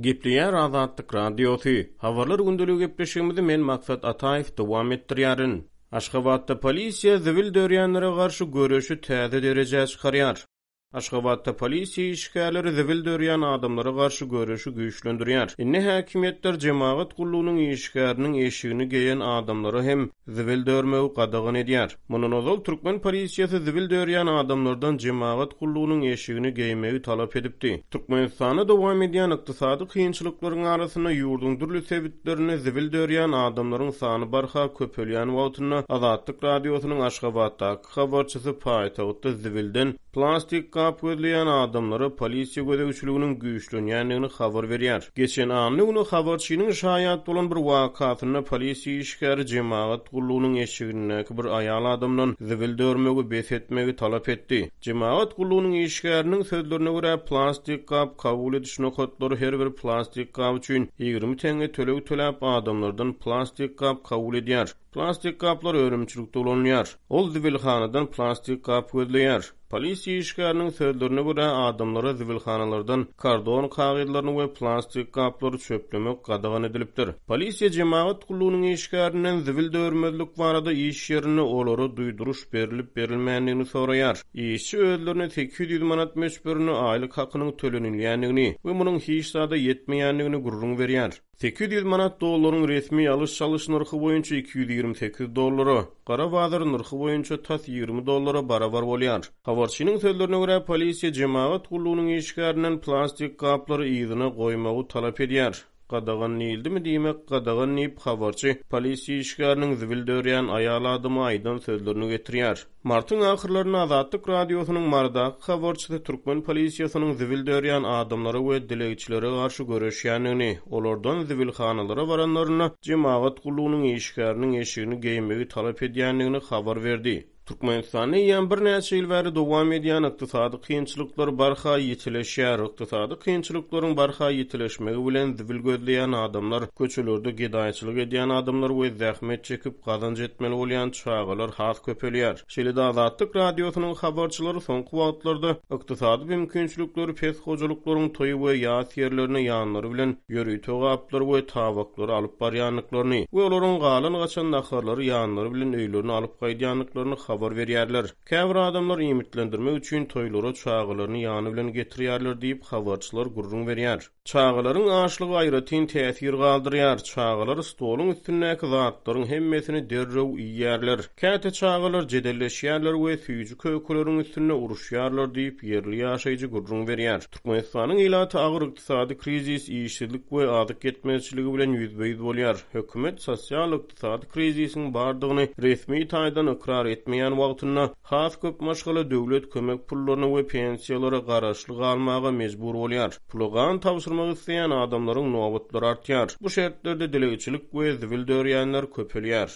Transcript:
Gepleýär Azatlyk Radiosy. Habarlar gündeligi gepleşigimizi men Maksat Ataýew dowam etdirýärin. Aşgabatda polisiýa zibil dörýänlere garşy göreşi täze derejä çykarýar. Aşgabatda polisiýa işgärleri zibil dörýän adamlara garşy göreşi güýçlendirýär. Indi häkimiýetler jemagat gullugynyň işgäriniň eşigini geýen adamlara hem zibil dörmegi gadagan edýär. Mundan ozal türkmen polisiýasy zibil dörýän adamlardan jemagat gullugynyň eşigini geýmegi talap edipdi. Türkmenistanda dowam edýän ykdysady kynçylyklaryň arasynda ýurduň dürli sebitlerinde zibil dörýän adamlaryň sany barha köpelýän wagtynda Azatlyk Radiosynyň Aşgabatdaky habarçysy paýtagtda zibilden plastik gap gözleýän adamlara polisiýa gözegçiliginiň güýçlenýändigini habar berýär. Geçen anna güni habarçynyň şaýat bolan bir wakasynda polisiýa işgäri jemagat gullugynyň eşigindäki bir aýal adamdan zibil dörmegi bes etmegi talap etdi. Jemagat gullugynyň işgäriniň sözlerine görä, plastik gap kabul ediş nokatlary her bir plastik gap üçin 20 teňňe töleg töläp, adamlardan plastik gap kabul edýär. Plastik gaplar önümçilikde ulanylýar. Ol zibilhanadan plastik gap gözleýär. Polisiýa işgäriniň sözlerine görä, adamlara zibilhanalardan kardon kagyzlaryny we plastik gaplary çöplemek gadagan edilipdir. Polisiýa jemagat gullugynyň işgärinden zibil dörmezlik barada iş ýerinde olara duýduryş berlip-berilmändigini soraýar. Işçi özlerine 800 manat möçberinde aýlyk hakynyň tölenilýändigini we munuň hiç zada ýetmeýändigini gürrüň berýär. 800 manat dollaryň resmi alyş-çalyş nyrhy boýunça 228 dollara, gara bazar nyrhy boýunça tas 20 dollara barabar bolýar. Habarçynyň sözlerine görä, polisiýa jemagat gullugynyň işgärinden plastik gaplary yzyna goýmagy talap edýär. Gadagan diýildimi diýmek gadagan diýip, habarçy polisiýa işgäriniň zibil dörýän aýal adama aýdan sözlerini getirýär. Martyň ahyrlarynda Azatlyk Radiosynyň Marydaky habarçysy türkmen polisiýasynyň zibil dörýän adamlara we dilegçilere garşy göreşýändigini, olardan zibilhanalara baranlarynda jemagat gullugynyň işgäriniň eşigini geýmegi talap edýändigini habar berdi. Türkmenistanda eýýäm birnäçe ýyl bäri dowam edýän ykdysady kynçylyklar barha ýitileşýär. Ykdysady kynçylyklaryň barha ýitileşmegi bilen zibil gözleýän adamlar, köçelerde gedaýçylyk edýän adamlar we zähmet çekip gazanç etmeli bolýan çagalar has köpelýär. Şeýle-de Azatlyk Radiosynyň habarçylary soňky wagtlarda ykdysady mümkinçilikleri pes hojalyklaryň toý we ýas ýerlerine ýanlary bilen ýörite gaplary we tabaklary alyp barýandyklaryny we olaryň galan-gaçan naharlary ýanlary bilen öýlerine alyp gaýdýandyklaryny habar berýärler. Käbir adamlar iýmitlendirmek üçin toýlara çagalaryny ýany bilen getirýärler diýip, habarçylar gürrüň berýär. Çagalaryň açlygy aýratyn täsir galdyrýar. Çagalar stoluň üstündäki zatlaryň hemmesini derrew iýýärler. Käte çagalar jedelleşýärler we süýji-kökeleriň üstünde uruşýarlar diýip, ýerli ýaşaýjy gürrüň berýär. Türkmenistanyň ilaty agyr ykdysady krizis, işsizlik we azyk ýetmezçiligi bilen ýüzbe-ýüz bolýar. Hökümet sosial-ykdysady krizisiň bardygyny resmi taýdan ykrar etmeýän wagtynda, has köp maşgala döwlet kömek pullaryna we pensiýalara garaşly galmaga mejbur bolýar. Pula gan tabşyrmak isleýän adamlaryň nobatlary artýar. Bu şertlerde dilegçilik we zibil dörýänler köpelýär.